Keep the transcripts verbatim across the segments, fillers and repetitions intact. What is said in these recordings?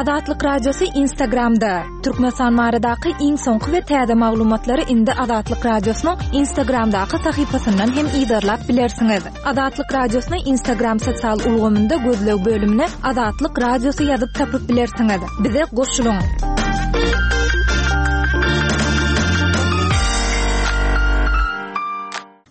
Azatlyk Radiosy Instagramda. Türkmenistan baradaky iň soňky we täze maglumatlary indi Azatlyk Radiosynyň Instagramdaky sahypasyndan hem yzarlap bilersiňiz. Azatlyk Radiosyny Instagram sosial ulgamynda gözleg bölümine Azatlyk Radiosy ýazyp tapyp bilersiňiz. Bize goşulyň.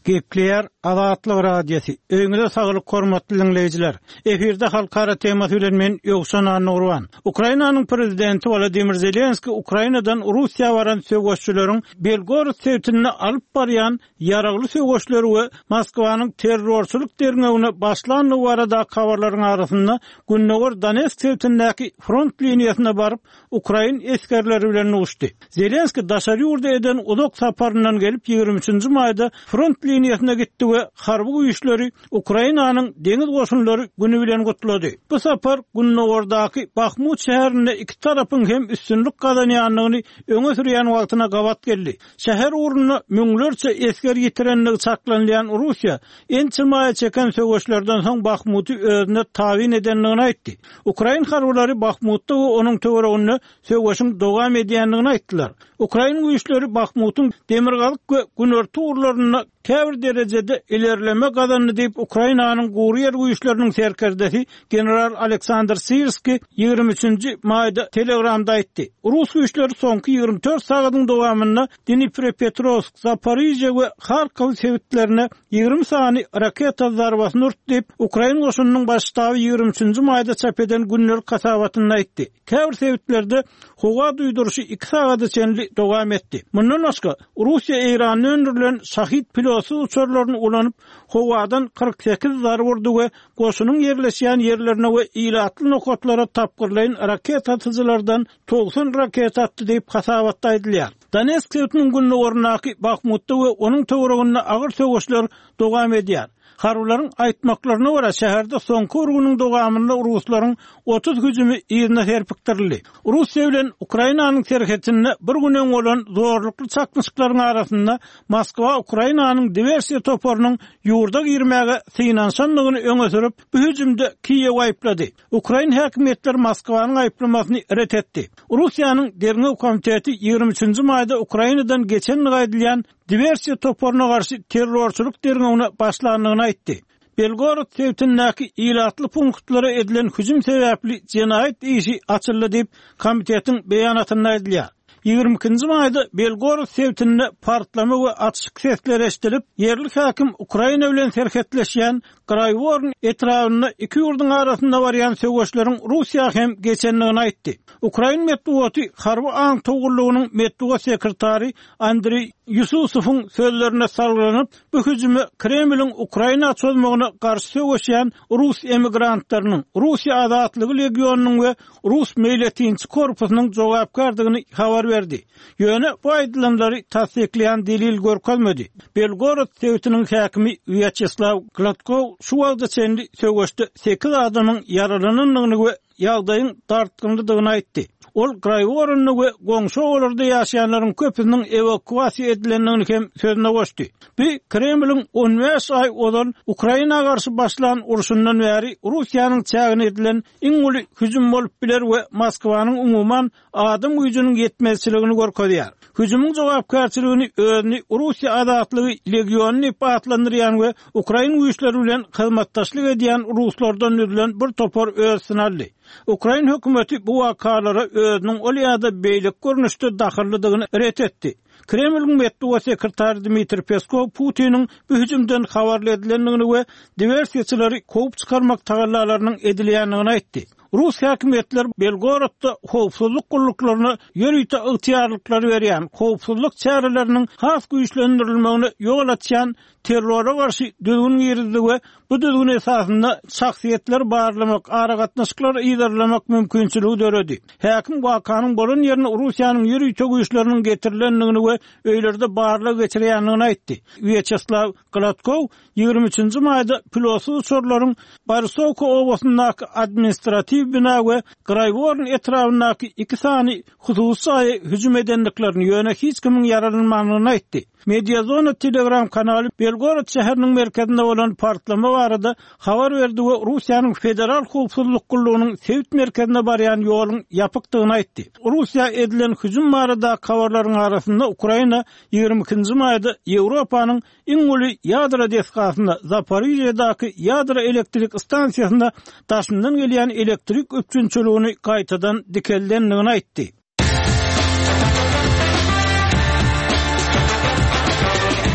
Gepleýär Azatlyk Radiosy. Öýüňize saglyk hormatly diňleýjiler. Efirde halkara temasy bilen men Ýowşan Annagurban. Ukrainanyň prezidenti Wladimir Zelenski Ukrainadan Russiýa baran söweşçileriň Belgorod sebitinde alyp barýan ýaragly söweşleri we Moskwanyň terrorçylyk derňewine başlandygy baradaky habarlaryň arasynda Gündogar Donetsk sebitindäki front liniýasyna baryp, ukrain esgerleri bilen duşdy. Zelenski daşary ýurda eden uzak saparyndan gelip ýigrimi üçünji maýda front liniýasyna gitdi we harby güýçleri Ukrainanyň deňiz goşunlary güni bilen gutlady. Bu sapar gündogardaky Bahmut şäherinde iki tarapyň hem üstünlik gazanýandygyny öňe sürýän wagtyna gabat geldi. Şäher ugrunda müňlerçe esger ýitirendigi çaklanylýan Russiýa ençeme aýa çeken söweşlerden soň Bahmuty özüne tabyn edendigini aýtdy. Ukrain harbylary Bahmutda we onuň töwereginde söweşiň dowam edýändigini aýtdylar. Ukrain güýçleri Bahmutyň demirgazyk we günorta ugurlarynda käbir derejede ilerleme gazandy diýip Ukrainanyň gury ýer güýçleriniň serkerdesi general Aleksandr Sirski ýigrimi üçünji maýda Telegramda aýtdy. Rus güýçleri soňky ýigrimi dört sagadyň dowamynda Dniprepetrowsk, Zaporižýa we Harkow sebitlerine ýigrimi sany raketa zarbasyny urdy diýip, Ukrain goşunynyň baş ştaby ýigrimi üçünji maýda çap eden gündelik hasabatynda aýtdy. Käbir sebitlerde howa duýduryşy iki sagada çenli dowam etdi. Mundan başga, Russiýa Eýranda öndürilen Şahid pilotsyz uçarlaryny ulanyp, howadan kyrk sekiz zarba urdy we goşunyň ýerleşýän ýerlerine we ilatly nokatlara tapgyrlaýyn raketa atyjylardan togsan raketa atdy diýip, hasabatda aýdylýar. Donetsk sebitiniň gündogaryndaky Bahmutda we onuň töwereginde agyr söweşler dowam edýär. Harbylaryň aýtmaklaryna görä, şäherde soňky bir günüň dowamynda ruslaryň otuz hüjümi yzyna serpikdirildi. Russiýa bilen Ukrainanyň serhetinde bir gün öň bolan zorlukly çaknyşyklaryň arasynda Moskwa Ukrainanyň diwersiýa toparynyň ýurda girmäge synanyşandygyny öňe sürüp, bu hüjümde Kiýewi aýyplady. Ukrain häkimiýetleri Moskwanyň aýyplamasyny ret etdi. Russiýanyň Derňew komiteti ýigrimi üçünji maýda Ukrainadan geçendigi aýdylýan diwersiýa toparyna garşy terrorçylyk derňewine başlandygyny aýtdy. Belgorod sebitindäki ilatly punktlara edilen hüjüm sebäpli jenaýat işi açyldy diýip, komitetiň beýanatynda aýdylýar. Ýigrimi ikinji maýda Belgorod sebitinde partlama we atyşyk sesleri eşidilip, ýerli häkim Ukraina bilen serhetleşýän Graýworn etrabynda iki ýurduň arasynda barýan söweşleriň Russiýa hem geçendigini aýtdy. Ukrain metbugaty harby aňtaw gullugynyň metbugat sekretary Andriý Ýususowyň sözlerine salgylanyp, bu hüjüme Kremliň Ukraina çozmagyna garşy söweşýän rus emigrantlarynyň, Russiýa azatlygy legionynyň we rus meýletinçi korpusynyň jogapkärdigini habar berdi. Ýöne bu aýdylanlary tassyklaýan delil görkezmedi. Belgorod sebitiniň häkimi Wýaçeslaw Gladkow şu wagta çenli söweşde sekiz adamyň ýaralanandygyny we ýagdaýyň dartgynlydygyny aýtdy. Ol Graýworunda we goňşy obalarda ýaşaýanlaryň köpüsiniň ewakuasiýa edilendigini hem sözüne goşdy. Bu Kremliň on bäş aý ozal Ukraina garşy başlan urşundan bäri Russiýanyň çägine edilen iň uly hüjüm bolup biler we Moskwanyň umuman adam güýjüniň ýetmezçiligini görkezýär. Hüjümiň jogapkärçiligini özüni Russiýa azatlygy legiony diýip atlandyrýan we ukrain güýçleri bilen hyzmatdaşlyk edýän ruslardan düzülen bir topar öz üstüne aldy. Ukrain hökümeti bu wakalara özüniň ol ýa-da beýleki görnüşde dahyllydygyny ret etdi. Kremliň metbugat sekretary Dmitriý Peskow Putiniň bu hüjümden habarly edilendigini we diwersiýaçylary kowup çykarmak tagallalarynyň edilýändigini aýtdy. Rus häkimiýetleri Belgorodda howpsuzlyk gulluklaryna ýörite ygtyýarlyklary berýän howpsuzlyk çäreleriniň has güýçlendirilmegine ýol açýan terrora garşy düzgün girizdi we bu düzgün esasynda şahsyýetleri barlamak, aragatnaşyklary yzarlamak mümkinçiligi döredi. Häkim wakanyň bolan ýerine Russiýanyň ýörite güýçleriniň getirilendigini we öýlerde barlag geçirýändigini aýtdy. Wýaçeslaw Gladkow ýigrimi üçünji maýda pilotsyz uçarlaryň Borisowka obasyndaky administratiw harby bina we Graýworn etrabyndaky iki sany hususy jaýa hüjüm edendiklerini, ýöne hiç kimiň ýaralanmandygyny aýtdy. Mediazona Telegram kanaly Belgorod şäheriniň merkezinde bolan partlama barada habar berdi we Russiýanyň Federal Howpsuzlyk gullugynyň sebit merkezine barýan ýoluň ýapykdygyny aýtdy. Russiýa edilen hüjüm barada habarlaryň arasynda Ukraina ýigrimi ikinji maýda Ýewropanyň iň uly ýadro desgasynda Zaporizhýadaky ýadro elektrik stansiýasynda daşyndan gelýän elektrik üpjünçiligini gaýtadan dikeldendigini aýtdy.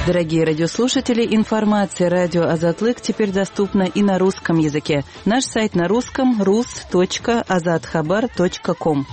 Дорогие радиослушатели, информация радио Азатлык теперь доступна и на русском языке. Наш сайт на русском рус точка азатхабар точка ком.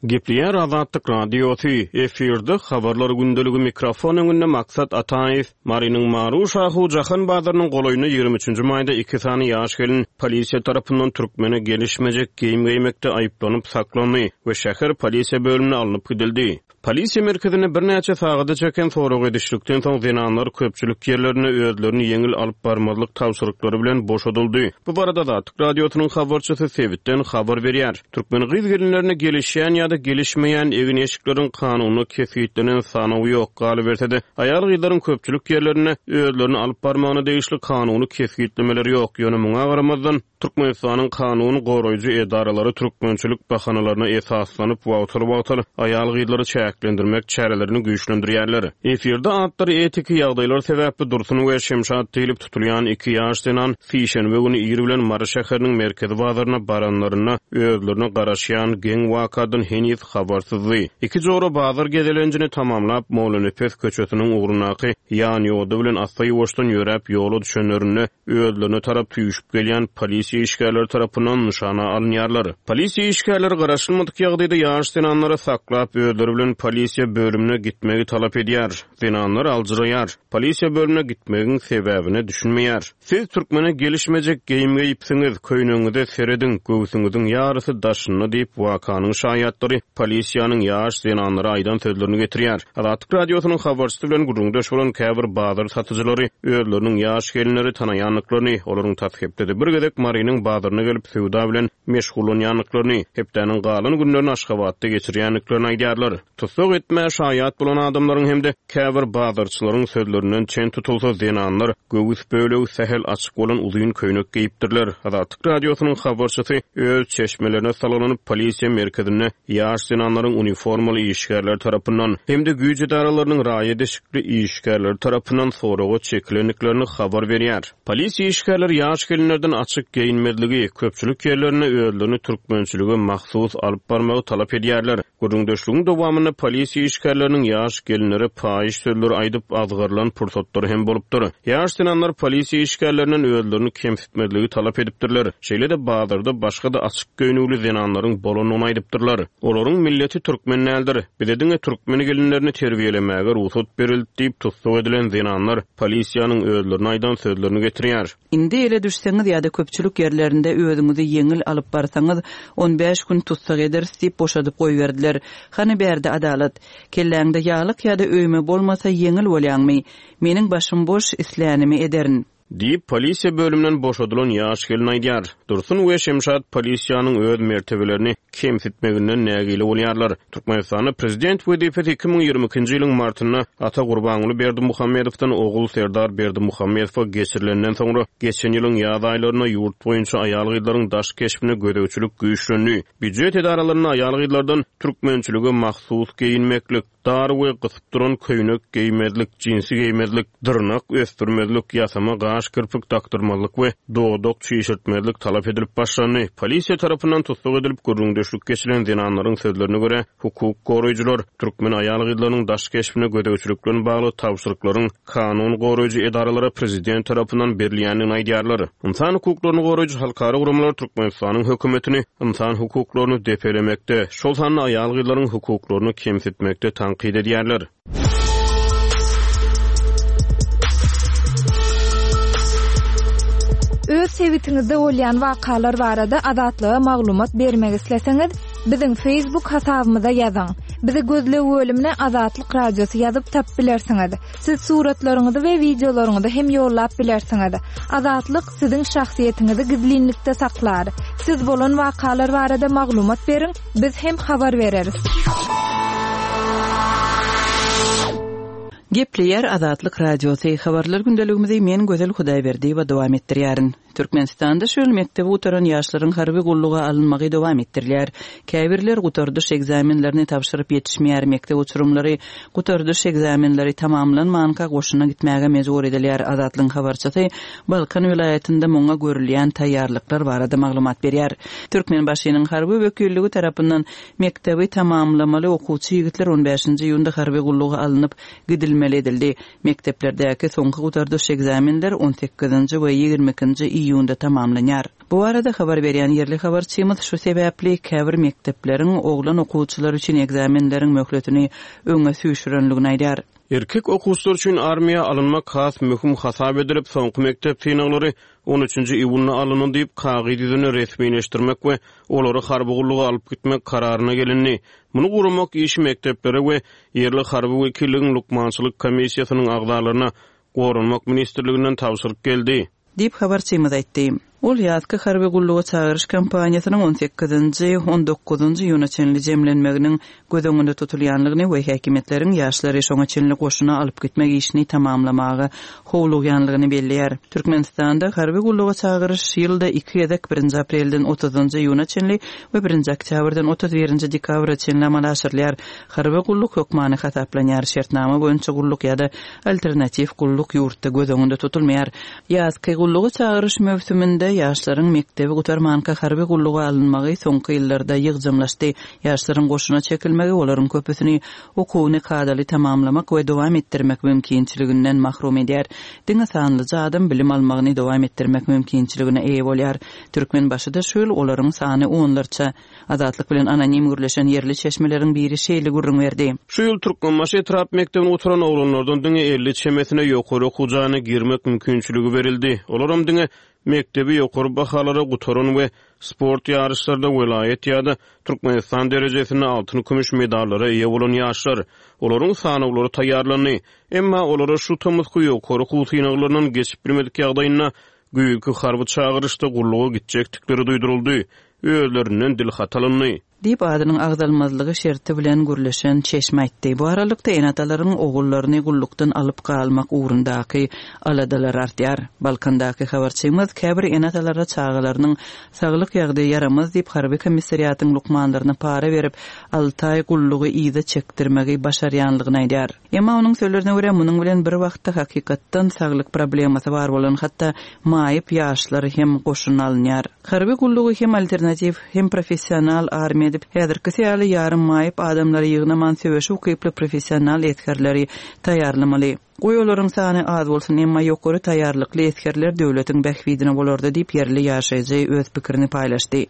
Gepleýär Azatlyk Radiosy, efirde habarlar gündeligi mikrofon öňünde Maksat Ataýew, Marynyň Maru Şahu Jahan bazarynyň golaýynda ýigrimi üçünji maýda iki sany ýaş gelin polisiýa tarapyndan türkmene gelişmejek geýim geýmekde aýyplanyp saklandy we şäher polisiýa bölümine alnyp gidildi. Polisiýa merkezine birnäçe sagada çeken sorag edişlikden soň zenanlar köpçülik ýerlerine özlerini ýeňil alyp barmazlyk tabşyryklary bilen boşadyldy. Bu barada Azatlyk Radiosynyň habarçysy sebitden habar berýär. Türkmen gyz gelinlerine gelişýän ýa-da gelişmeýän egin eşikleriň kanuny kesgitlenen sanawy ýok. Galyberse-de, aýal gyzlaryň köpçülik ýerlerine özlerini alyp barmagyna degişli kanuny kesgitlemeleri ýok. Ýöne muňa garamazdan Türkmenistanyň kanuny goraýjy edaralary türkmençilik bahanalaryna esaslanyp wagtal-wagtal aýal gyzlary çäklendirmek çärelerini güýçlendirýärler. Efirde atlary etiki ýagdaýlar sebäpli Dursun we Şemşat diýlip tutulýan iki ýaş zenan sişenbe güni ir bilen Mary şäheriniň merkezi bazaryna baranlaryna özlerine garaşýan geň wakadan heniz habarsyzdy. Iki jora bazar gezelenjini tamamlap Molanepes köçesiniň ugrundaky ýan ýoda bilen asla ýuwaşdan ýöräp ýola düşenlerinde özlerine tarap tüýüşip gelýän polisiýa işgärleri tarapyndan nyşana alynýarlar. Polisiýa işgärleri garaşylmadyk ýagdaýda ýaş zenanlary saklap özleri bilen polisiýa bölümine gitmegi talap edýär. Zenanlar aljyraýar. Polisiýa bölümine gitmegiň sebäbine düşünmeýär. Siz türkmene gelişmejek geýim geýipsiňiz, köýnüňize serediň, göwsüňiziň ýarysy daşynda diýip wakanyň şaýatlary polisiýanyň ýaş zenanlara aýdan sözlerini getirýär. Azatlyk Radiosynyň habarçysy bilen gürrüňdeş bolan käbir bazar satyjylary özleriniň ýaş gelinleri tanaýandyklaryny, olaryň tas hepdede bir gezek Marynyň bazaryna gelip söwda bilen meşgullanýandyklaryny, hepdäniň galan günlerini Aşgabatda geçirýändiklerini aýdýarlar. Tussag etmä şaýat bolan adamlaryň hem-de käbir bazarçylaryň sözlerinden çen tutulsa zenanlar göwüs bölegi sähel açyk bolan uzyn köýnek geýipdirler. Azatlyk Radiosynyň habarçysy öz çeşmelerine salgylanyp polisiýa merkezinde ýaş zenanlaryň uniformaly işgärler tarapyndan hem-de güýç edaralarynyň raýat eşikli işgärleri tarapyndan soraga çekilendiklerini habar berýär. Polisiýa işgärleri ýaş gelinlerden açyk geýinmezligi, köpçülik ýerlerine özlerini türkmençilige mahsus alyp barmagy talap edýärler. Gürrüňdeşligiň dowamynda polisiýa işgärleriniň ýaş gelinlere paýyş sözleri aýdyp azgarylan pursatlary hem bolupdyr. Ýaş zenanlar polisiýa işgärlerinden özlerini kemsitmezligi talap edipdirler. Şeýle-de bazarda başga-da açyk göýnügli zenanlaryň bolanyny aýdypdyrlar. Olaryň milleti türkmen däldir. Bize diňe türkmen gelinlerini terbiýelemäge rugsat berildi diýip tussag edilen zenanlar polisiýanyň özlerine aýdan sözlerini getirýär. Indi ele düşseňiz ýa-da köpçülik ýerlerinde özüňizi ýeňil alyp barsaňyz on bäş gün tussag ederis diýip boşadyp goýberdiler. Hany bärde adalat? Kelläňde ýalyk ýa-da öýme bolmasa ýeňil bolýaňmy? Meniň başym boş, islänimi ederin. Diýip polisiýa bölümünden boşadylan ýaş gelin aýdýar. Dursun we Şemşat polisiýanyň öz mertebelerini kemsitmeginden nägile bolýarlar. Türkmenistanda prezident wezipesi iki müň ýigrimi ikinji ýylyň martynda Ata Gurbanguly Berdimuhamedowdan ogul Serdar Berdimuhamedowa geçirilenden soňra geçen ýylyň ýaz aýlarynda ýurt boýunça aýal gyzlaryň daş keşbine gözegçilik güýçlendi. Býujet edaralarynda aýal gyzlardan türkmençilige mahsus geýinmeklik, dar we gysyp duran köýnek geýmezlik, jinsi geýmezlik, dyrnak ösdürmezlik, ýasama gaş kirpik dakdyrmazlyk we dodak çişirtmezlik talap edilip başlandy. Polisiýa tarapyndan tussag edilip gürrüňdeşlik geçilen zenanlaryň sözlerine görä hukuk goraýjylar türkmen aýal gyzlarynyň daş keşbine gözegçilik bilen bagly tabşyryklaryň kanun goraýjy edaralara prezident tarapyndan berilýändigini aýdýarlar. Ynsan hukuklaryny goraýjy halkara guramalar Türkmenistanyň hökümetini ynsan hukuklaryny depelemekde, şol sanda aýal gyzlaryň hukuklaryny kemsitmekde tankyt edýärler. Öz sebitiňizde bolýan wakalar barada Azatlyga maglumat bermek isleseňiz, biziň Facebook hasabymyza ýazyň. Bizi gözleg bölümine Azatlyk Radiosy ýazyp tapyp bilersiňiz. Siz suratlaryňyzy we wideolaryňyzy hem ýollap bilersiňiz. Azatlyk siziň şahsyýetiňizi gizlinlikde saklar. Siz bolan wakalar barada maglumat beriň, biz hem habar bereris. Gepleýär Azatlyk Radiosy. Habarlar gündeligimizi men Gözel Hudaýberdiýewa dowam etdirýärin. Türkmenistanda şu ýyl mekdebi gutaran ýaşlaryň harby gulluga alynmagy dowam etdirilýär. Käbirler gutardyş ekzamenlerini tabşyryp ýetişmeýär. Mekdep uçurymlary gutardyş ekzamenleri tamamlanmanka goşuna gitmäge mejbur edilýär. Azatlygyň habarçysy Balkan welaýatynda muňa görülýän taýýarlyklar barada maglumat berýär. Türkmenbaşynyň harby wekilligi tarapyndan mekdebi tamamlamaly okuwçy ýigitler on bäşinji iýunda harby gulluga alnyp gidilmeli edildi. Mekdeplerdäki soňky gutardyş ekzamenler on sekizinji we ýigrimi ikinji iýunda tamamlanýar. Bu arada habar berýän ýerli habarçymyz şu sebäpli käbir mekdepleriň oglan okuwçylar üçin ekzamenleriň möhletini öňe süýşürenligini aýdar. Erkek okuwçylar üçin armiýa alynmak has möhüm hasap edilip, soňky mekdep synaglary on üçünji iýunda alyndy diýip, kagyz ýüzüne resmileşdirmek we olary harby gulluga alyp gitmek kararyna gelindi. Muny guramak işi mekdeplere we ýerli harby wekilligiň lukmançylyk komissiýasynyň agzalaryna Goranmak ministrliginden tabşyryk geldi. Diýip habarçymyz aýtdy. Ol ýazky harby gulluga çagyryş kampaniýasynyň on sekizinji, on dokuzynjy iýuna çenli jemlenmeginiň göz öňünde tutulýanlygyny we häkimiýetleriň ýaşlary şoňa çenli goşuna alyp gitmek işini tamamlamaga howlugýanlygyny belleýär. Türkmenistanda harby gulluga çagyryş ýylda iki gezek birinji aprelden otuzynjy iýuna çenli we birinji oktýabrdan otuz birinji dekabra çenli amala aşyrylýar. Harby gulluk hökmany hasaplanýar. Şertnama boýunça gulluk ýa-da alternatiw gulluk ýurtda göz öňünde tutulmaýar. Ýazky gulluga çagyryş möwsüminde ýaşlaryň mekdebi gutarmanka harby gulluga alynmagy soňky ýyllarda ýygjamlaşdy. Ýaşlaryň goşuna çekilmegi olaryň köpüsini okuwyny kadaly tamamlamak we dowam etdirmek mümkinçiliginden mahrum edýär. Diňe sanlyja adam bilim almagyny dowam etdirmek mümkinçiligine eýe bolýar. Türkmenbaşyda şu ýyl olaryň sany onlarça. Azatlyk bilen anonim gürleşen ýerli çeşmeleriň biri şeýle gürrüň berdi. Şu ýyl Türkmenbaşy etrap mekdebini gutaran oglanlardan diňe elli çemesine ýokary okuw jaýyna girmek mümkinçiligi berildi. Olaram diňe mekdebi ýokary bahalara gutaran we sport ýaryşlarda welaýat ýa-da Türkmenistan derejesinde altyn kümüş medallara eýe bolan ýaşlar. Olaryň sanawlary taýýarlandy. Emma olara şu tomusky ýokary okuw synaglaryndan geçip bilmedik ýagdaýynda güýzki harby çagyryşda gulluga gitjekdikleri duýduryldy. Özlerinden dil hat alyndy. Diýip adynyň agzalmazlygy şerti bilen gürleşen çeşme aýtdy. Bu aralykda ene-atalaryň ogullaryny gullukdan alyp galmak ugrundaky aladalar artýar. Balkandaky habarçymyz käbir ene-atalara çagalarynyň saglyk ýagdaýy ýaramaz diýip harby komissariatyň lukmanlaryna para berip alty aý gullugy yza çekdirmegi başarýanlygyny aýdar. Emma onuň sözlerine görä munuň bilen bir wagtda hakykatdan saglyk problemasy bar bolan hatda maýyp ýaşlar hem goşuna alynýar. Harby gullugy hem alternatiw hem professional armiýa edip, häzirki ýaly ýarym maýyp adamlary ýygnaman söweşe ukyply professional esgerleri taýýarlamaly. Goý olaryň sany az bolsun, emma ýokary taýýarlykly esgerler döwletiň bähbidine bolardy diýip ýerli ýaşaýjy öz pikirini paýlaşdy.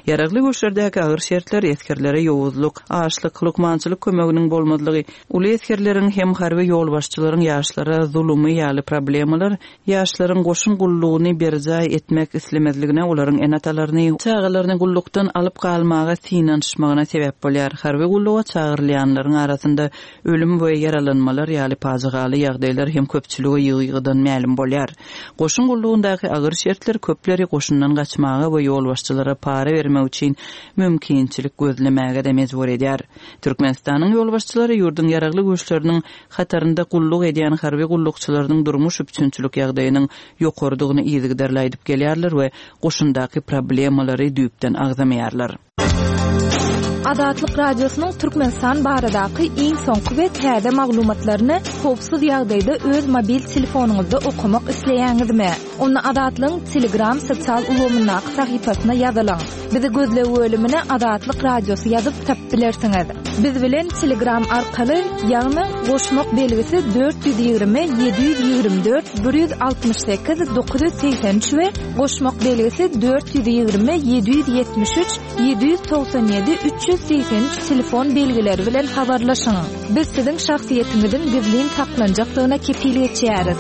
Ýaragly güýçlerdäki agyr şertler esgerlere ýowuzlyk, açlyk, lukmançylyk kömeginiň bolmazlygy, uly esgerleriň hem harby ýolbaşçylaryň ýaşlara zulumy ýaly problemalar ýaşlaryň goşun gullugyny berjaý etmek islemezligine olaryň ene-atalaryny çagalaryny gullukdan alyp galmaga synanyşmagyna sebäp bolýar. Harby gulluga çagyrylýanlaryň arasynda ölüm we ýaralanmalar ýaly pajygaly ýagdaýlar hem köpçülige ýygy-ýygydan mälim bolýar. Goşun gullugyndaky agyr şertler köpleri goşundan gaçmaga we ýolbaşçylara para bermek üçin mümkinçilik gözlemäge de mejbur edýär. Türkmenistanyň ýolbaşçylary ýurduň ýaragly güýçleriniň hatarynda gulluk edýän harby gullukçylarynyň durmuş üpjünçilik ýagdaýynyň ýokarydygyny yzygiderli aýdyp gelýärler we goşundaky problemalary düýpden agzamaýarlar. Azatlyk Radiosynyň Türkmenistan baradaky iň soňky we täze maglumatlaryny howpsuz ýagdaýda öz mobil telefonyňyzda okamak isleýäňizmi? Onda Azatlygyň Telegram sosial ulgamyndaky sahypasyna ýazylyň. Bizi gözleg bölümine Azatlyk Radiosy ýazyp tapyp bilersiňiz. Biz bilen Telegram arkaly, ýagny goşmak belgisi dört ýüz ýigrimi, ýedi ýüz ýigrimi dört, bir ýüz altmyş sekiz, dokuz ýüz segsen üç we goşmak belgisi dört ýüz ýigrimi, ýedi ýüz ýetmiş üç, ýedi ýüz togsan ýedi, üç ýüz segsen üç telefon belgileri bilen habarlaşyň. Biz siziň şahsyýetiňiziň gizlin saklanjakdygyna kepil geçýäris.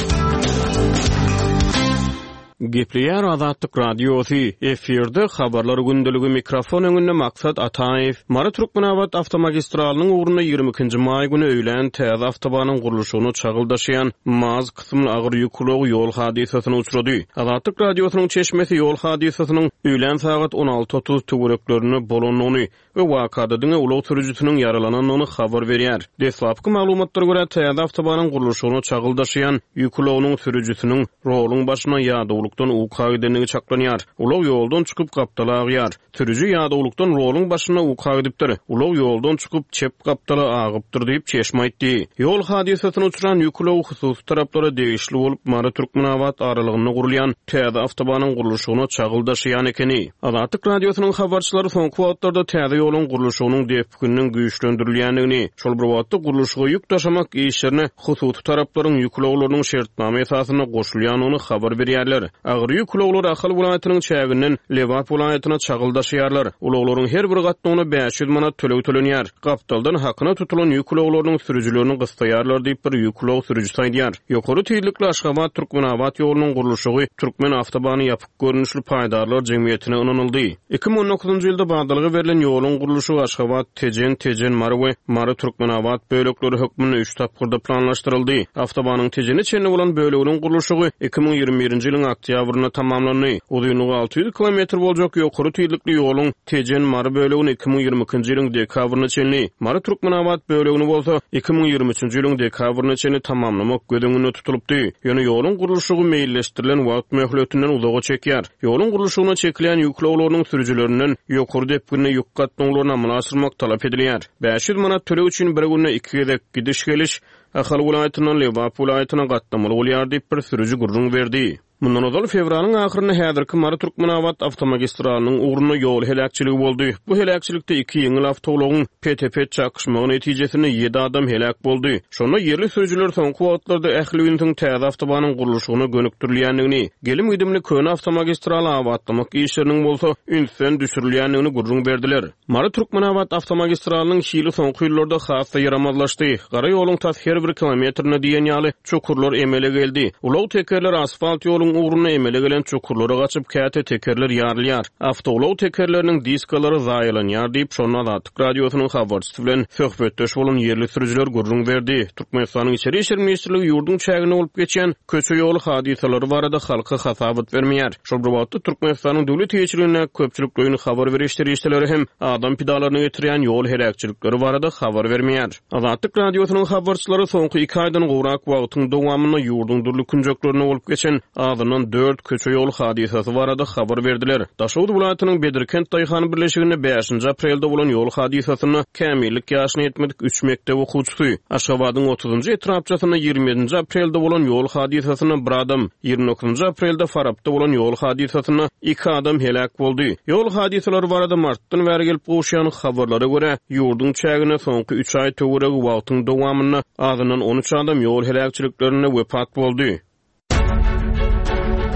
Gepleýär Azatlyk Radiosy, efirde habarlar gündeligi mikrofon öňünde Maksat Ataýew. Mary-Türkmenabat awtomagistralynyň ugrunda ýigrimi ikinji maý güni öýlän täze awtobanyň gurluşygyna çagyl daşaýan MAZ kysymly agyr ýük ulagy ýol hadysasyna uçrady. Azatlyk Radiosynyň çeşmesi ýol hadysasynyň öýlän sagat on alty otuz töwereklerinde bolandygyny we wakada diňe ulag sürüjisiniň ýaralanandygyny habar berýär. Deslapky maglumatlara görä täze awtobanyň gurluşygyna çagyl daşaýan ýük ulagynyň sürüjisiniň roluň başyna ýadawlykdan uka gidendigi çaklanýar. Ulag ýoldan çykyp gapdala agýar. Sürüji ýadawlykdan roluň başyna uka gidipdir. Ulag ýoldan çykyp çep gapdala agypdyr diýip çeşme aýtdy. Ýol hadysasyna uçran ýük ulagy hususy taraplara degişli bolup Mary-Türkmenabat aralygynda gurulýan täze awtobanyň gurluşygyna çagyl daşaýan ekeni. Azatlyk Radiosynyň habarçylary soňky wagtlarda täze ýoluň gurluşygynyň depgininiň güýçlendirilýändigini, şol bir wagtda gurluşyga ýük daşamak işlerine hususy taraplaryň ýük ulaglarynyň şertnama esasynda goşulýandygyny habar berýärler. Agyr ýük ulaglary Ahal welaýatynyň çäginden Lebap welaýatyna çagyl daşaýarlar. Ulaglaryň her bir gatnawyna bäş ýüz manat töleg tölenýär. Gapdaldan hakyna tutulan ýük ulaglarynyň sürüjilerini gyssaýarlar diýip bir ýük ulag sürüjisi aýdýar. Ýokary tizlikli Aşgabat Türkmenabat ýolunyň gurluşygy Türkmen awtobany ýapyk görnüşli paýdarlar jemgyýetine ynanyldy. Iki müň on dokuzynjy ýylda badalga berlen ýoluň gurluşygy Aşgabat Tejen, Tejen Mary we Mary Türkmenabat bölekleri hökmünde üç tapgyrda planlaşdyryldy. Awtobanyň Tejene çenli bolan böleginiň gurluşygy iki müň ýigrimi birinji ýylyň oktýabrynda tamamlandy. Uzynlygy alty ýüz kilometr boljak ýokary tizlikli ýoluň Tejen Mary bölegini iki müň ýigrimi ikinji ýylyň dekabryna çenli, Mary Türkmenabat bölegini bolsa iki müň ýigrimi üçünji ýylyň dekabryna çenli tamamlamak göz öňünde tutulypdy. Ýöne ýoluň gurluşygy meýilleşdirilen wagt möhletinden uzaga çekýär. Ýoluň gurluşygyna çekilýän ýük ulaglarynyň sürüjilerinden ýokary depginde ýük gatnawlaryny amala aşyrmak talap edilýär. bäş ýüz manat töleg üçin bir günde iki gezek gidiş-geliş Ahal welaýatyndan Lebap welaýatyna gatnamaly bolýar diýip bir sürüji gürrüň berdi. Mundan ozal fewralyň ahyrynda häzirki Mary Türkmenabat awtomagistralynyň ugrunda ýol heläkçiligi boldy. Bu heläkçilikde iki ýeňil awtoulagyň pete-pet çakyşmagy netijesinde ýedi adam heläk boldy. Şonda ýerli sürüjiler soňky wagtlarda ähli ünsüň täze awtobanyň gurluşygyna gönükdirilýändigini, gelim-gidimli köne awtomagistraly abatlamak işleriniň bolsa ünsden düşürilýändigini gürrüň berdiler. Mary Türkmenabat awtomagistralynyň hili soňky ýyllarda has-da ýaramazlaşdy. Gara ýoluň tas her bir kilometrine diýen ýaly çukurlar emele geldi. Ulag tekerler asfalt ýoluň ugruna emele gelen çukurlara gaçyp käte tekerler ýarylýar. Awtoulag tekerleriniň diskalary zaýalanýar diýip şonda Azatlyk Radiosynyň habarçysy bilen söhbetdeş bolan ýerli sürüjiler gürrüň berdi. Türkmenistanyň Içeri Işler Ministrligi ýurduň çäginde bolup geçen köçe ýoly hadysalary barada halka hasabat bermeýär. Şol bir wagtda Türkmenistanyň döwlet eýeçiligindäki köpçülikleýin habar beriş serişdeleri hem adam pidalaryny getirýän ýol heläkçilikleri barada habar bermeýär. Azatlyk Radiosynyň habarçylary soňky iki aýdan gowrak wagtyň dowamynda ýurduň dürli künjeklerinde bolup geçen azyndan dört köçe ýol hadysasy barada habar berdiler. Daşoguz welaýatynyň Bedirkent Daýhan birleşiginde bäşinji aprelde bolan ýol hadysasynda kämillik ýaşyna ýetmedik üç mekdep okuwçysy, Aşgabadyň otuzynjy etrapçasynda ýigrimi ýedinji aprelde bolan ýol hadysasynda bir adam, ýigrimi dokuzynjy aprelde Farapda bolan ýol hadysasynda iki adam heläk boldy. Ýol hadysalary barada martdan bäri gelip gowuşýan habarlara görä, ýurduň çäginde soňky üç aý töweregi wagtyň dowamynda azyndan on üç adam ýol heläkçiliklerinde wepat boldy.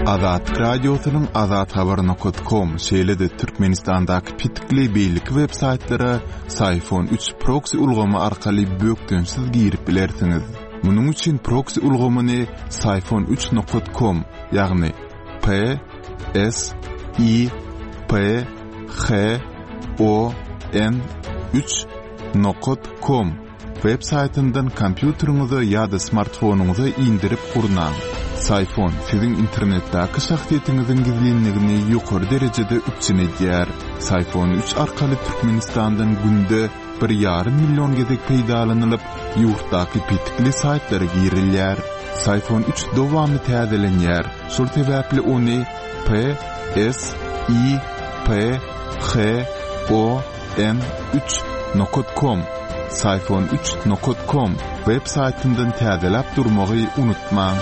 Azatlyk Radiosynyň azathabar nokta com, şeýle-de Türkmenistandaky petikli beýleki web saýtlara Syfon üç proxy ulgamy arkaly bökdençsiz girip bilersiňiz. Munuň üçin proxy ulgamyny Syfon üç nokta com, ýagny P S I P H O N üç nokta com web saýtyndan kompýuteriňize ýa-da smartfonyňyza indirip gurnaň. Syfon siziň internetdäki şahsyýetiňiziň gizlinligini ýokary derejede üpjün edýär. Syfon üç arkaly Türkmenistandan günde bir ýarym million gezek peýdalanylyp, ýurtdaky petikli saýtlara girilýär. Syfon üç dowamly täzelenýär. Şol sebäpli ony P S I P H O N üç nokta com, Syfon üç nokta com web saýtyndan täzeläp durmagy unutmaň.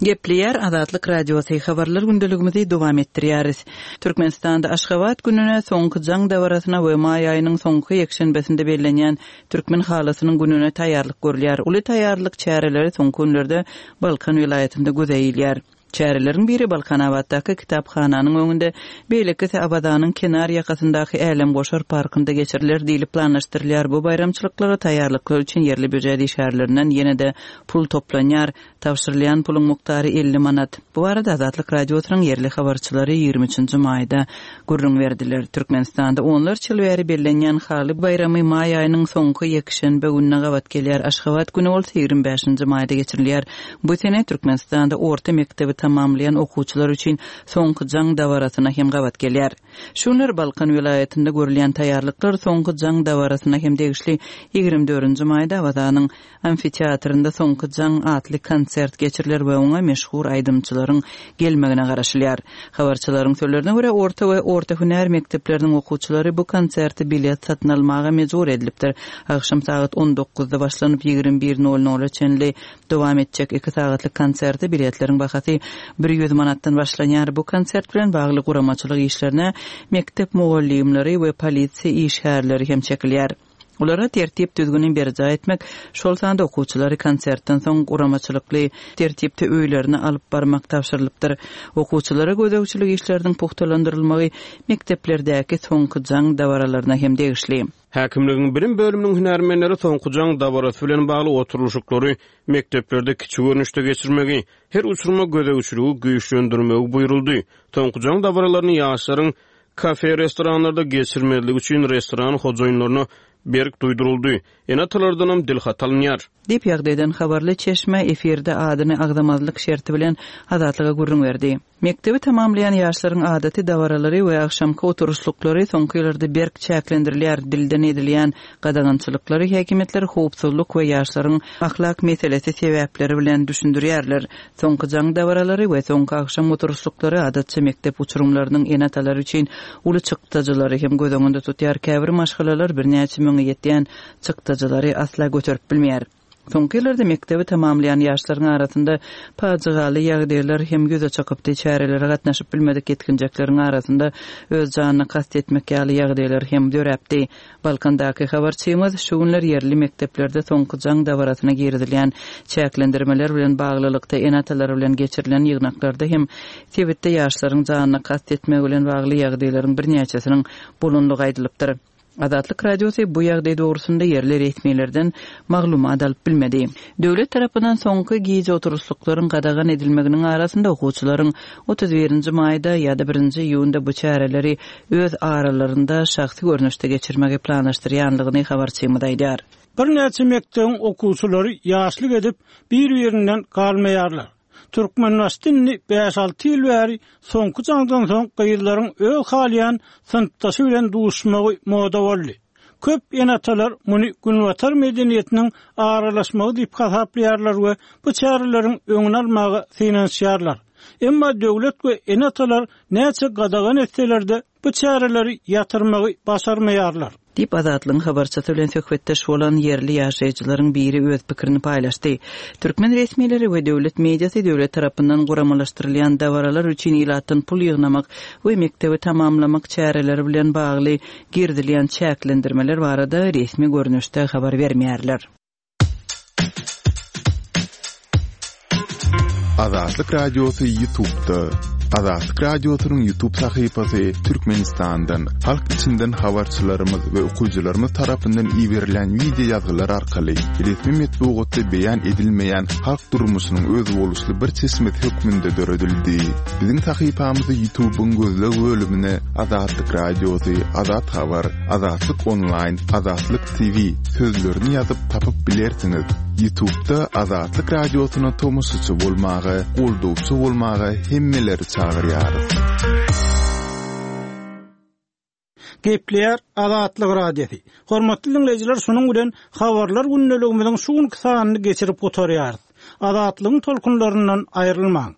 Gepleýär Azatlyk Radiosy habarlar gündeligimizi dowam etdirýäris. Türkmenistanda Aşgabat gününe soňky jaň dabarasyna we maý aýynyň soňky ýekşenbesinde bellenýän Türkmen halysynyň gününe taýýarlyk görülýär. Uly taýýarlyk çäreleri soňky günlerde Balkan welaýatynda göze ilýär. Çäreleriň biri Balkanabatdaky kitaphananyň öňünde, beýlekisi Awazanyň kenar ýakasyndaky Älemgoşar parkynda geçiriler diýlip planlaşdyrylýar. Bu baýramçylyklara taýýarlyklar üçin ýerli býujet işgärlerinden ýene-de pul toplanýar. Tabşyrylýan puluň mukdary elli manat. Bu barada Azatlyk Radiosynyň ýerli habarçylary ýigrimi üçünji maýda gürrüň berdiler. Türkmenistanda onlarça ýyl bäri bellenýän Haly baýramy maý aýynyň soňky ýekşenbe gününe gabat gelýär. Aşgabat güni bolsa ýigrimi bäşinji maýda geçirilýär. Bu sene Türkmenistanda orta mekdebi tamamlaýan okuwçylar üçin soňky jaň dabarasyna hem gabat gelýär. Şu günler Balkan welaýatynda görülýän taýýarlyklar soňky jaň dabarasyna hem degişli. Ýigrimi dördünji maýda Awazanyň amfiteatrynda soňky jaň atly konsert geçiriler we oňa meşhur aýdymçylaryň gelmegine garaşylýar. Habarçylaryň sözlerine görä, orta we orta hünär mekdepleriniň okuwçylary bu konserte bilet satyn almaga mejbur edilipdir. Agşam sagat on dokuzda başlanyp, ýigrimi bir nol nola çenli dowam etjek iki sagatlyk konserte biletleriň bahasy bir ýüz manatdan başlanýar. Bu konsert bilen bagly guramaçylyk işlerine mekdep mugallymlary we polisiýa işgärleri hem çekilýär. Olara tertip düzgüni berjaý etmek, şol sanda okuwçylary konsertden soň guramaçylykly tertipde öýlerine alyp barmak tabşyrylypdyr. Okuwçylara gözegçilik işleriniň pugtalandyrylmagy mekdeplerdäki soňky jaň dabaralaryna hem degişli. Häkimligiň bilim bölüminiň hünärmenleri soňky jaň dabarasy bilen bagly oturylyşyklary mekdeplerde kiçi görnüşde geçirmegi, her uçurma gözegçiligi güýçlendirmegi buýruldy. Soňky jaň dabaralaryny ýaşlaryň kafe restoranlarda geçirmezligi üçin restoran hojaýynlaryna berk duýduryldy. Ene-atalardanam dil hat alynýar. Diýip ýagdaýdan habarly çeşme efirde adyny agzamazlyk şerti bilen Azatlyga gürrüň berdi. Mekdebi tamamlaýan ýaşlaryň adaty dabaralary we agşamky oturyşlyklary soňky ýyllarda berk çäklendirilýär. Dilden edilýän gadagançylyklary häkimiýetler howpsuzlyk we ýaşlaryň ahlak meselesi sebäpleri bilen düşündirýärler. Soňky jaň dabaralary we soňky agşam oturyşlyklary adatça mekdep uçurumlarynyň ene-atalary üçin uly çykdajylary hem göz öňünde tutýar. Käbir maşgalalar birnäçe müňe ýetýän çykdajylary asla göterip bilmeýär. Soňky ýyllarda mekdebi tamamlaýan ýaşlaryň arasynda pajygaly ýagdaýlar hem ýüze çykypdy. Çärelere gatnaşyp bilmedik ýetginjekleriň arasynda öz janyna kast etmek ýaly ýagdaýlar hem döräpdi. Balkandaky habarçymyz şu günler ýerli mekdeplerde soňky jaň dabarasyna girizilýän çäklendirmeler bilen baglylykda ene-atalar bilen geçirilen ýygnaklarda hem sebitde ýaşlaryň janyna kast etmegi bilen bagly ýagdaýlaryň birnäçesiniň bolanlygy aýdylypdyr. Azatlyk Radiosy bu ýagdaý dogrusynda ýerli resmilerden maglumat alyp bilmedi. Döwlet tarapyndan soňky gije oturyşlyklaryň gadagan edilmeginiň arasynda okuwçylaryň otuz birinji maýda ýa-da birinji iýunda bu çäreleri öz aralarynda şahsy görnüşde geçirmegi planlaşdyrýanlygyny habarçymyz aýdýar. Birnäçe mekdebiň okuwçylary ýaşlyk edip bir-birinden galmaýarlar. Türkmenbaşy indi bäş alty ýyl bäri soňky jaňdan soň gyzlaryň öz halýan synpdaşy bilen duşmagy moda boldy. Köp ene-atalar muny Günbatar medeniýetiniň aralaşmagy diýip hasaplaýarlar we bu çäreleriň öňüni almaga synanyşýarlar. Emma döwlet we ene-atalar näçe gadagan etseler-de bu çäreleri ýatyrmagy başarmaýarlar. Diýip Azatlygyň habarçysy bilen söhbetdeş bolan ýerli ýaşaýjylaryň biri öz pikirini paýlaşdy. Türkmen resmileri we döwlet mediasy döwlet tarapyndan guramalaşdyrylýan dabaralar üçin ilatdan pul ýygnamak we mekdebi tamamlamak çäreleri bilen bagly girizilýän çäklendirmeler barada resmi görnüşde habar bermeýärler. Azatlyk Radiosy YouTube'da. Azatlyk Radiosynyň YouTube sahypasy Türkmenistandan, halk içinden habarçylarymyz we okyjylarymyz tarapyndan iberilen video ýazgylar arkaly resmi metbugatda beýan edilmeýän halk durmuşynyň özboluşly bir çeşmesi hökmünde döredildi. Biziň sahypamyzy YouTube'yň gözleg bölümine Azatlyk Radiosy, Azat Habar, Azatlyk Online, Azatlyk T V sözlerini ýazyp tapyp bilersiňiz. YouTube'da Azatlyk Radiosyna tomaşaçy bolmaga, goldawçy bolmaga hemmeleri çagyrýarys. Gepleýär Azatlyk Radiosy. Hormatly dinleýjiler, şunuň bilen habarlar gündeligimiziň şu günki sanyny geçirip gutarýarys. Azatlygyň tolkunlaryndan aýrylmaň.